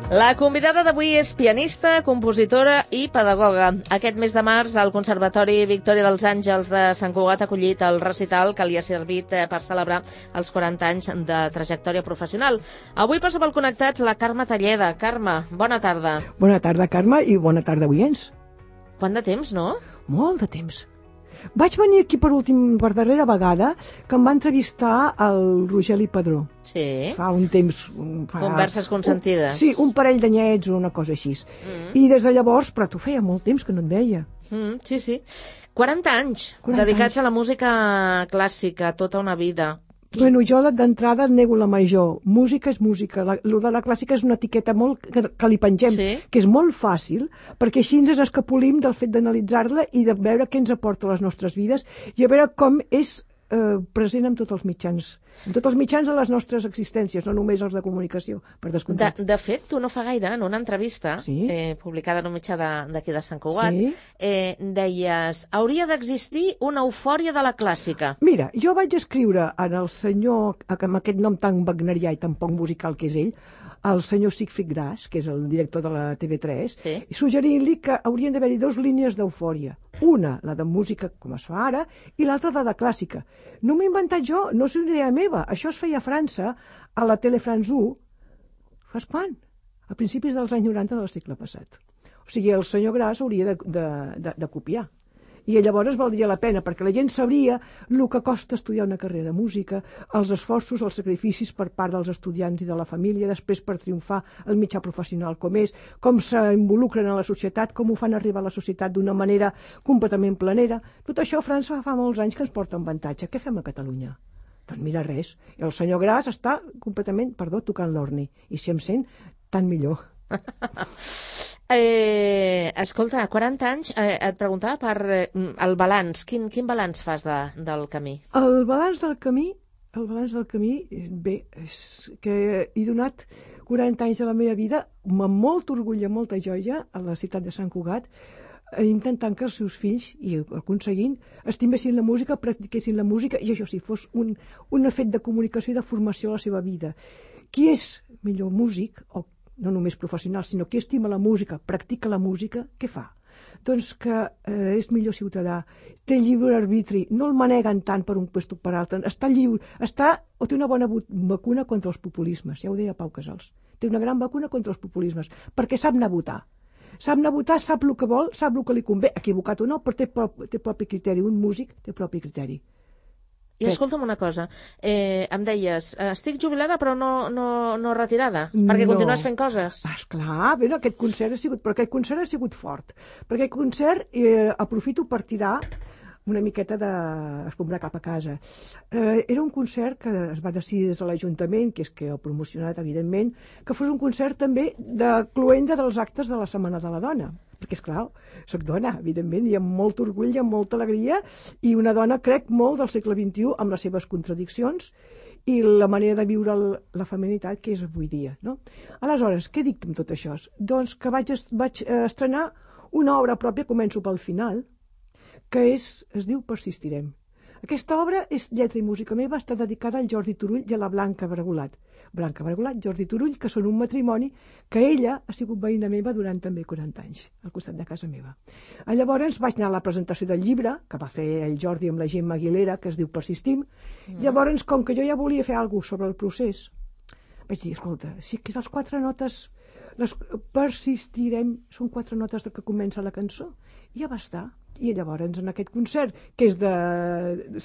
La convidada d'avui és pianista, compositora i pedagoga. Aquest mes de març, el Conservatori Victòria dels Àngels de Sant Cugat ha acollit el recital que li ha servit per celebrar els 40 anys de trajectòria professional. Avui passa pel Connectats la Carme Talleda. Carme, bona tarda. Bona tarda, Carme, i bona tarda, oients. Quant de temps, no? Molt de temps. Vaig venir aquí per darrera vegada que em va entrevistar el Rogeli Padró. Sí. Fa un temps... Converses consentides. Sí, un parell d'anyets o una cosa així. I des de llavors, però tu feia molt temps que no et veia. Sí, sí. 40 anys 40 dedicats anys. a la música clàssica, tota una vida. Bueno, jo d'entrada nego la major. Música és música. Lo de la clàssica és una etiqueta molt que li pengem, Sí. que és molt fàcil, perquè així ens escapolim del fet d'analitzar-la i de veure què ens aporta a les nostres vides i a veure com és present en tots els mitjans de les nostres existències, no només els de comunicació, per descomptat. De fet, tu no fa gaire, en una entrevista Sí. publicada en un mitjà d'aquí de Sant Cugat, Sí. deies, hauria d'existir una eufòria de la clàssica. Mira, jo vaig escriure en el senyor, amb aquest nom tan wagnerià i tan poc musical que és ell, el senyor Siegfried Grass, que és el director de la TV3, Sí. i suggerint-li que haurien d'haver-hi dues línies d'eufòria. Una, la de música, com es fa ara, i l'altra, la de clàssica. No m'ho he inventat jo, no és una idea meva. Això es feia a França, a la Tele France 1, fas quan? A principis dels anys 90 del segle passat. O sigui, el senyor Grass hauria de copiar. I llavors valdria la pena, perquè la gent sabria el que costa estudiar una carrera de música, els esforços, els sacrificis per part dels estudiants i de la família, després per triomfar el mitjà professional com és, com s'involucren en la societat, com ho fan arribar a la societat d'una manera completament planera. Tot això a França fa molts anys que ens porta un avantatge. Què fem a Catalunya? Doncs mira, res. El senyor Grass està completament, tocant l'orni. I si em sent, tant millor. Escolta, 40 anys, et preguntava per el balanç. Quin balanç fas del camí? El balanç del camí, bé, és que he donat 40 anys de la meva vida amb molt orgull i amb molta joia a la ciutat de Sant Cugat, intentant que els seus fills, i aconseguint, estimessin la música, practiquessin la música, i això sí, fos un fet de comunicació i de formació a la seva vida. Qui és millor músic, o no només professional, sinó qui estima la música, practica la música, què fa? Doncs que és millor ciutadà, té lliure arbitri, no el maneguen tant per un lloc per altre, està lliure, té una bona vacuna contra els populismes, ja ho deia Pau Casals, té una gran vacuna contra els populismes, perquè sap anar a votar. Sap anar a votar, sap el que vol, sap el que li convé, equivocat o no, però té propi criteri, un músic té propi criteri. I escolta'm una cosa, em deies, estic jubilada però no retirada, perquè continues fent coses. Esclar, bé, aquest concert ha sigut fort, perquè aquest concert aprofito per tirar una miqueta d'escombrar cap a casa. Era un concert que es va decidir des de l'Ajuntament, que és que ho ha promocionat, evidentment, que fos un concert també de cloenda dels actes de la Setmana de la Dona. Perquè, esclar, soc dona, evidentment, i amb molt orgull i amb molta alegria, i una dona, crec, molt del segle XXI, amb les seves contradiccions i la manera de viure la feminitat que és avui dia, no? Aleshores, què dic amb tot això? Doncs que vaig estrenar una obra pròpia, començo pel final, que es diu Persistirem. Aquesta obra és lletra i música meva, està dedicada al Jordi Turull i a la Blanca Bregolat. Blanca Bregolat, Jordi Turull, que són un matrimoni que ella ha sigut veïna meva durant també 40 anys, al costat de casa meva. Llavors vaig anar a la presentació del llibre, que va fer el Jordi amb la Gemma Aguilera, que es diu Persistim. Llavors, com que jo ja volia fer alguna cosa sobre el procés, vaig dir, escolta, si que les 4 notes, Persistirem, són 4 notes que comença la cançó, ja va estar. I llavors, en aquest concert, que és de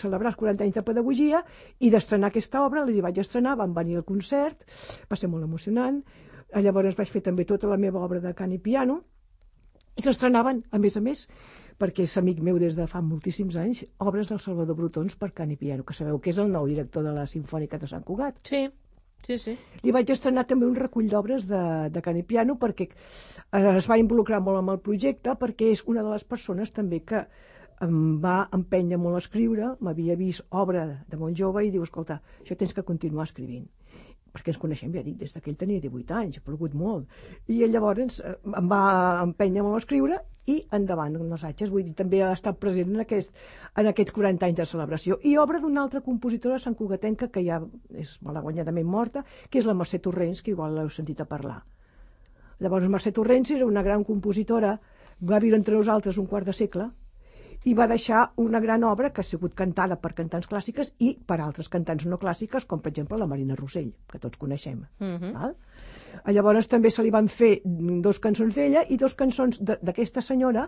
celebrar els 40 anys de pedagogia i d'estrenar aquesta obra, li vaig estrenar, van venir al concert, va ser molt emocionant. Llavors vaig fer també tota la meva obra de cant i piano, i s'estrenaven, a més, perquè és amic meu des de fa moltíssims anys, obres del Salvador Brotons per cant i piano, que sabeu que és el nou director de la Simfònica de Sant Cugat. Sí. Li vaig estrenar també un recull d'obres de cant i piano perquè es va involucrar molt amb el projecte, perquè és una de les persones també que em va empènyer molt a escriure, m'havia vist obra de molt jove i diu, escolta, això tens que continuar escrivint. Perquè ens coneixem, ja dic, des que ell tenia 18 anys, ha plogut molt. I llavors em va empènyer molt a escriure i endavant amb els atges. Vull dir, també ha estat present en aquests 40 anys de celebració. I obra d'una altra compositora santcugatenca que ja és malaguanyadament morta, que és la Mercè Torrents, que igual l'heu sentit a parlar. Llavors Mercè Torrents era una gran compositora, va viure entre nosaltres un quart de segle, i va deixar una gran obra que ha sigut cantada per cantants clàssiques i per altres cantants no clàssiques, com per exemple la Marina Rossell, que tots coneixem. Val? Llavors també se li van fer 2 cançons d'ella i 2 cançons d'aquesta senyora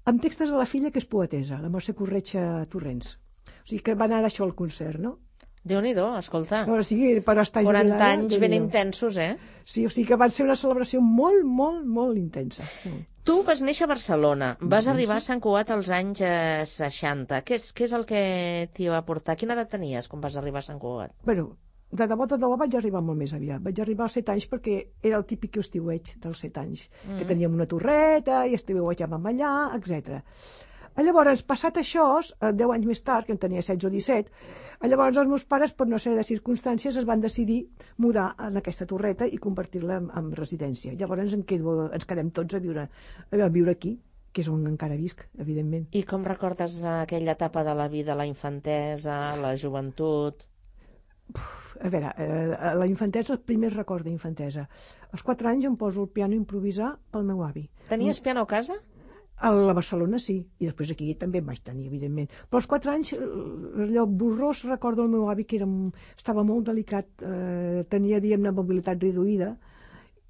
amb textos de la filla, que és poetessa, la Mercè Corretja Torrents. O sigui que va anar això al concert, no? Déu-n'hi-do, escolta. O sigui, per estar 40 anys ben intensos, eh? Sí, o sigui que van ser una celebració molt, molt, molt intensa. Tu vas néixer a Barcelona, vas arribar a Sant Cugat als anys 60. Què és el que t'hi va portar? Quina edat tenies quan vas arribar a Sant Cugat? Bueno, de debò vaig arribar molt més aviat. Vaig arribar als 7 anys perquè era el típic estiueig dels 7 anys, que teníem una torreta i estiuejàvem allà, etc. Llavors, passat això, 10 anys més tard, que en tenia 16 o 17, llavors els meus pares, per una sèrie de circumstàncies, es van decidir mudar en aquesta torreta i convertir-la en residència. Llavors ens quedem tots a viure aquí, que és on encara visc, evidentment. I com recordes aquella etapa de la vida, la infantesa, la joventut? A veure, la infantesa, el primer record d'infantesa. Als 4 anys em poso el piano a improvisar pel meu avi. Tenies piano a casa? A la Barcelona sí, i després aquí també en vaig tenir, evidentment. Però als 4 anys, allò borrós, recordo el meu avi que estava molt delicat, tenia, diguem-ne, mobilitat reduïda,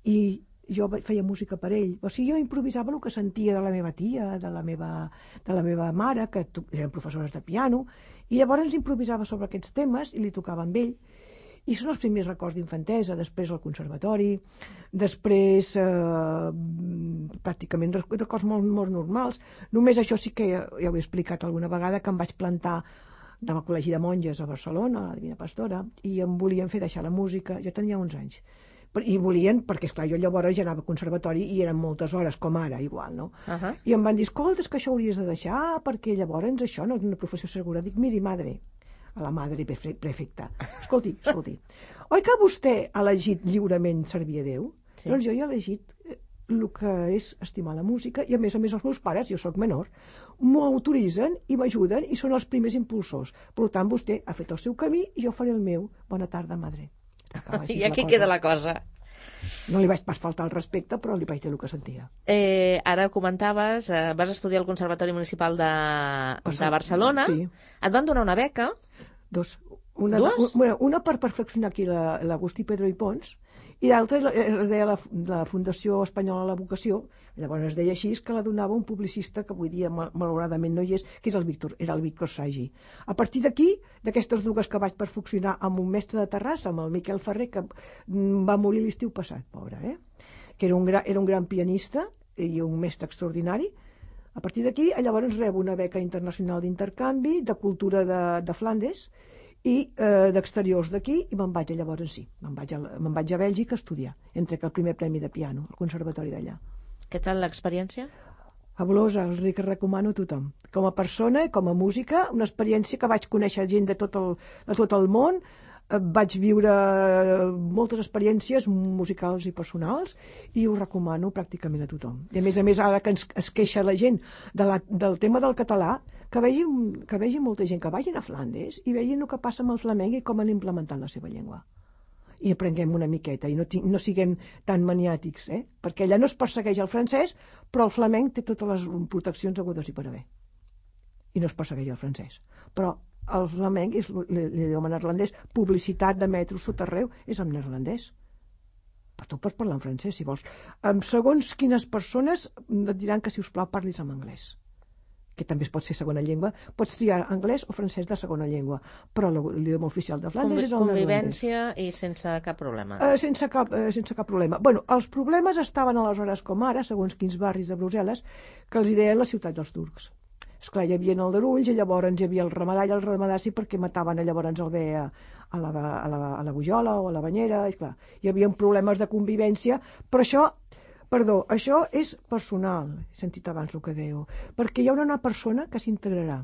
i jo feia música per ell. O sigui, jo improvisava el que sentia de la meva tia, de la meva mare, que eren professores de piano, i llavors improvisava sobre aquests temes i li tocava amb ell. I són els primers records d'infantesa, després al conservatori, després pràcticament records molt, molt normals. Només això sí que ja ho he explicat alguna vegada, que em vaig plantar al Col·legi de Monges a Barcelona, a la Divina Pastora, i em volien fer deixar la música. Jo tenia 11 anys. I volien, perquè esclar, jo llavors ja anava al conservatori i eren moltes hores, com ara, igual, no? I em van dir, escolta, és que això hauries de deixar, perquè llavors això no és una professió segura. Dic, miri, madre, a la madre prefecta. Escolti, oi que vostè ha elegit lliurement servir a Déu? Sí. Doncs jo he elegit el que és estimar la música i a més els meus pares, jo sóc menor, m'ho autoritzen i m'ajuden i són els primers impulsors. Per tant, vostè ha fet el seu camí i jo faré el meu. Bona tarda, madre. I aquí queda la cosa. No li vaig pas faltar el respecte, però li vaig dir el que sentia. Ara comentaves, vas estudiar al Conservatori Municipal de Barcelona. Sí. Et van donar una beca? 2. Una per perfeccionar aquí l'Agustí Pedro i Pons, i l'altra es deia la Fundació Espanyola de la Vocació, llavors es deia així, que la donava un publicista que avui dia malauradament no hi és, que era el Víctor Sagi. A partir d'aquí, d'aquestes 2 que vaig perfeccionar amb un mestre de Terrassa, amb el Miquel Ferrer, que va morir l'estiu passat, pobre, que era un gran pianista i un mestre extraordinari. A partir d'aquí, llavors rebo una beca internacional d'intercanvi, de cultura de Flandes, i d'exteriors d'aquí, i me'n vaig llavors sí. Me'n vaig a Bèlgica a estudiar, entre el primer premi de piano, al conservatori d'allà. Què tal l'experiència? Fabulosa, que recomano a tothom. Com a persona, com a música, una experiència que vaig conèixer gent de tot el món, vaig viure moltes experiències musicals i personals i ho recomano pràcticament a tothom. I a més, ara que es queixa la gent del tema del català, que vegi molta gent que vagin a Flandes i vegin el que passa amb el flamenc i com han implementat la seva llengua. I aprenguem una miqueta i no siguem tan maniàtics, perquè allà no es persegueix el francès, però el flamenc té totes les proteccions hagudes i per haver. I no es persegueix el francès. Però el flamenc és l'idioma neerlandès, publicitat de metros tot arreu és en neerlandès. Però tu pots parlar en francès, si vols. Segons quines persones et diran que, si us plau, parlis en anglès, que també pot ser segona llengua. Pots triar anglès o francès de segona llengua, però l'idioma oficial de Flandes és el neerlandès. Convivència i sense cap problema. Sense cap problema. Bueno, els problemes estaven aleshores com ara, segons quins barris de Brussel·les, que els deien la ciutat dels turcs. Esclar, hi havia el d'Arulls i llavors hi havia el Ramadà sí, perquè mataven llavors el bé a la Bujola o a la Banyera, esclar. Hi havia problemes de convivència, però això és personal, he sentit abans el que dèieu, perquè hi ha una persona que s'integrarà,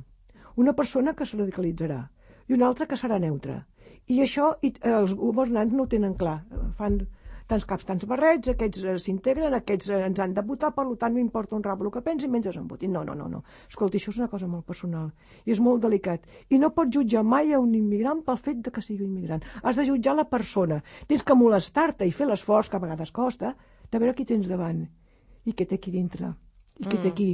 una persona que es radicalitzarà i una altra que serà neutra. I això els governants no ho tenen clar, tants caps, tants barrets, aquests s'integren, aquests ens han de votar, per tant no importa un rap el que pensin mentre em votin. No. Escolta, això és una cosa molt personal i és molt delicat. I no pots jutjar mai a un immigrant pel fet de que sigui un immigrant. Has de jutjar la persona. Tens que molestar-te i fer l'esforç, que a vegades costa, de veure qui tens davant i què té aquí dintre i què té aquí.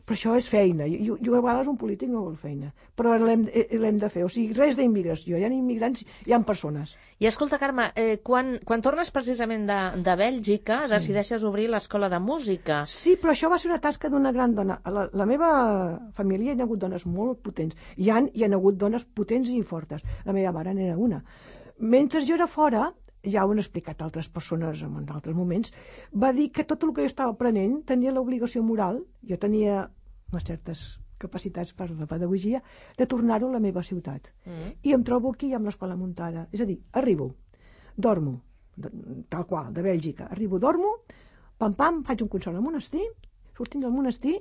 Però això és feina. Jo a vegades un polític no vol feina, però l'hem de fer. O sigui, res d'immigració. Hi ha immigrants, hi ha persones. I escolta, Carme, quan tornes precisament de Bèlgica, decideixes obrir l'escola de música. Sí, però això va ser una tasca d'una gran dona. La meva família hi ha hagut dones molt potents. Hi han hagut dones potents i fortes. La meva mare n'era una. Mentre jo era fora, ja ho han explicat altres persones en altres moments, va dir que tot el que jo estava aprenent tenia l'obligació moral, jo tenia unes certes capacitats per la pedagogia, de tornar-ho a la meva ciutat. I em trobo aquí amb l'escola muntada. És a dir, arribo, dormo, tal qual, de Bèlgica, arribo, dormo, pam, faig un concert al monestir, sortint del monestir,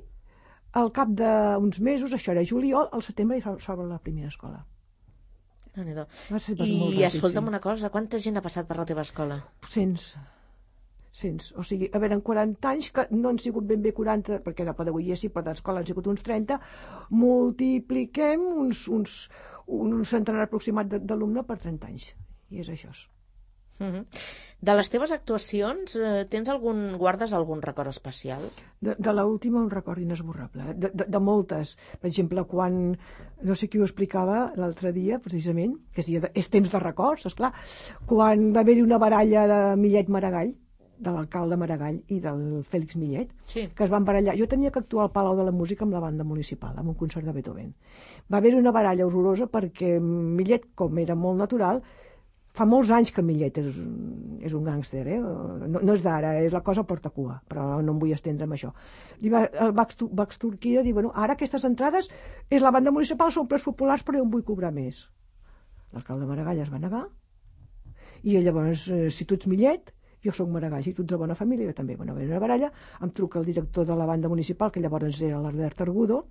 al cap d'uns mesos, això era juliol, al setembre s'obre la primera escola. I escolta'm una cosa, quanta gent ha passat per la teva escola? 100. O sigui, a veure, en 40 anys, que no han sigut ben bé 40, perquè de pedagogia sí, però d'escola han sigut uns 30, multipliquem un centenar aproximat d'alumne per 30 anys. I és això. De les teves actuacions, guardes algun record especial? De l'última un record inesborrable, de moltes. Per exemple, quan, no sé qui ho explicava l'altre dia, precisament, que és temps de records, esclar, quan va haver-hi una baralla de Millet Maragall, de l'alcalde Maragall i del Fèlix Millet, que es van barallar. Jo tenia que actuar al Palau de la Música amb la banda municipal, amb un concert de Beethoven. Va haver-hi una baralla horrorosa perquè Millet, com era molt natural, fa molts anys que Millet és un gàngster, no és d'ara, és la cosa porta cua, però no em vull estendre amb això. El Bax Turquia diu, bueno, ara aquestes entrades és la banda municipal, són preus populars, però jo em vull cobrar més. L'alcalde Maragall es va negar, i llavors, si tu ets Millet, jo sóc Maragall, si tu ets de bona família, jo també. Bueno, va haver una baralla, em truca el director de la banda municipal, que llavors era l'Albert Argudo,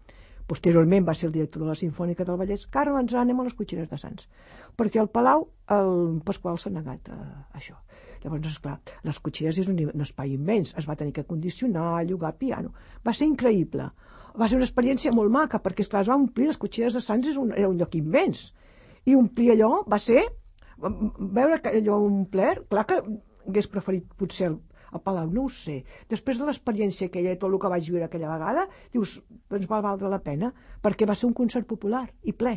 posteriorment va ser el director de la Simfònica del Vallès. Carme, ens anem a les Cotxeres de Sants, perquè al Palau el Pasqual s'ha negat a això. Llavors, esclar, les Cotxeres és un espai immens, es va tenir que condicionar, llogar piano. Va ser increïble. Va ser una experiència molt maca, perquè, esclar, es va omplir, les Cotxeres de Sants era un lloc immens. I omplir allò va ser, veure que allò omplert, clar que hagués preferit potser al Palau, no ho sé. Després de l'experiència aquella, tot el que vaig viure aquella vegada, dius, doncs va valdre la pena, perquè va ser un concert popular i ple,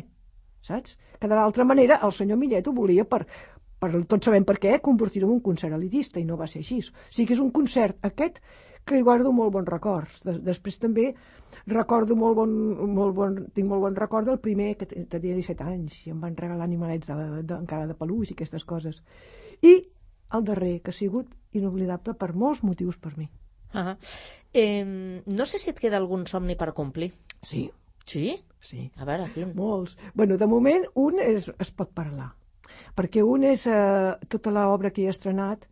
saps? Que de l'altra manera el senyor Millet ho volia tots sabem per què, convertir-ho en un concert elitista, i no va ser així. O sigui que és un concert aquest que hi guardo molt bons records. Després també recordo tinc molt bon record del primer, que tenia 17 anys, i em van regalar animalets encara de peluix i aquestes coses. I el darrer, que ha sigut inoblidable per molts motius per mi. No sé si et queda algun somni per complir. Sí. Sí? Sí. A veure, quin? Molts. Bueno, de moment, un es pot parlar, perquè un és tota l'obra que he estrenat,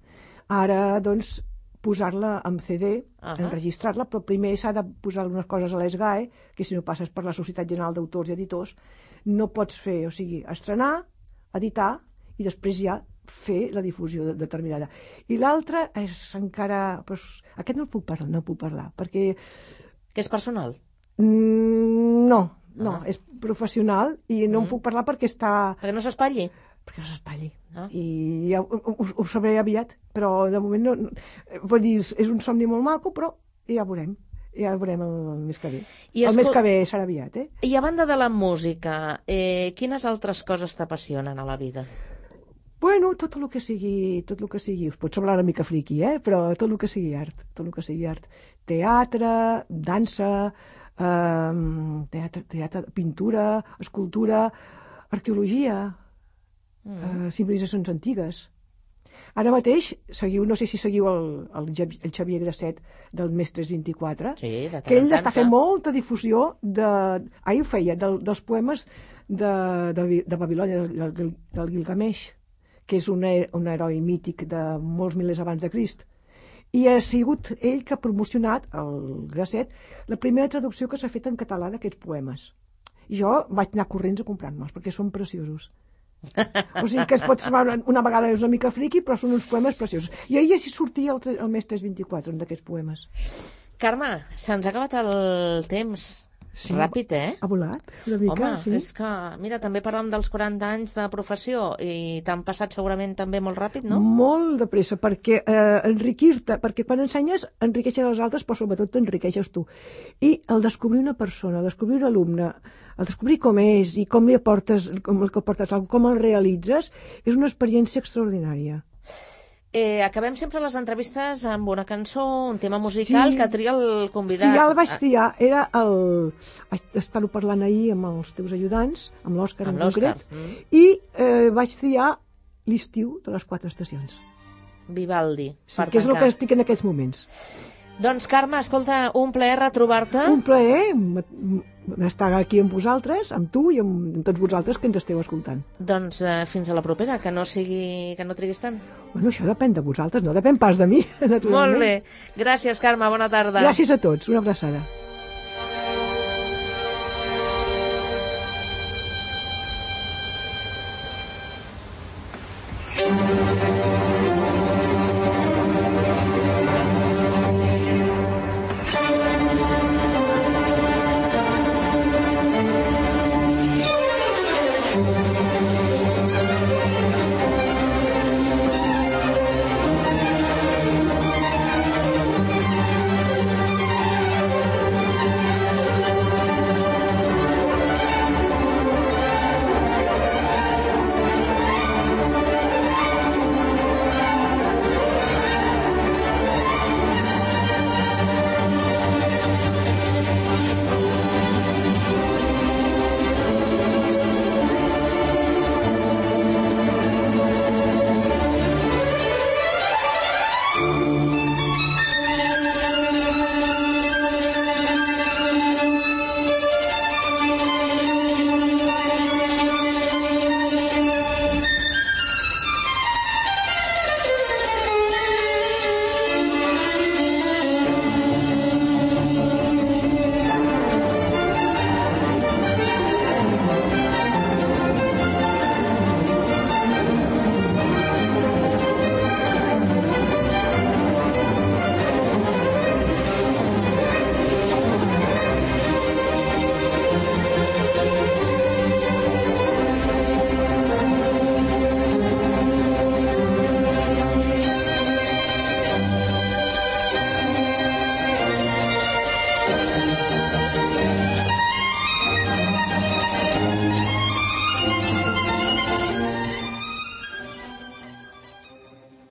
ara, doncs, posar-la en CD, enregistrar-la, però primer s'ha de posar algunes coses a l'ESGAE, que si no passes per la Societat General d'Autors i Editors, no pots fer, o sigui, estrenar, editar, i després ja fer la difusió determinada. I l'altre és encara... Aquest no puc parlar, perquè... Que és personal? No, és professional i no en puc parlar perquè està... Perquè no s'espatlli? Perquè no s'espatlli. I ja ho sabré aviat, però de moment no... Vull dir, és un somni molt maco, però ja veurem. Ja ho veurem el mes que ve. El mes que ve serà aviat, I a banda de la música, quines altres coses t'apassionen a la vida? Bueno, tot el que sigui, us pot semblar una mica friqui, però tot el que sigui art. Teatre, dansa, pintura, escultura, arqueologia, civilitzacions antigues. Ara mateix, no sé si seguiu el Xavier Grasset del Mestres 24, que ell està fent molta difusió ho feia, dels poemes de Babilònia, del Gilgamesh, que és un heroi mític de molts milers abans de Crist. I ha sigut ell que ha promocionat, el Grasset, la primera traducció que s'ha fet en català d'aquests poemes. I jo vaig anar corrents a comprar-me'ls, perquè són preciosos. O sigui que es pot semblar una vegada és una mica friqui, però són uns poemes preciosos. I ahir així sortia el mes 324, un d'aquests poemes. Carme, se'ns ha acabat el temps. Sí, ràpid, ha volat una mica. Home, sí. És que, mira, també parlàvem dels 40 anys de professió i t'han passat segurament també molt ràpid, no? Molt de pressa, perquè enriquir-te, perquè quan ensenyes enriqueixes els altres, però sobretot t'enriqueixes tu. I el descobrir una persona, el descobrir un alumne, el descobrir com és i com li aportes, com el realitzes, és una experiència extraordinària. Acabem sempre les entrevistes amb una cançó, un tema musical que tria el convidat. Sí, ja el vaig triar. Vaig estar-ho parlant ahir amb els teus ajudants, amb l'Òscar en concret, i vaig triar l'estiu de les 4 estacions. Vivaldi. Sí, que és el que estic en aquests moments. Doncs, Carme, escolta, un plaer retrobar-te. Un plaer estar aquí amb vosaltres, amb tu i amb tots vosaltres que ens esteu escoltant. Doncs fins a la propera, que no triguis tant. Bueno, això depèn de vosaltres, no depèn pas de mi, naturalment. Molt bé. Gràcies, Carme, bona tarda. Gràcies a tots, una abraçada.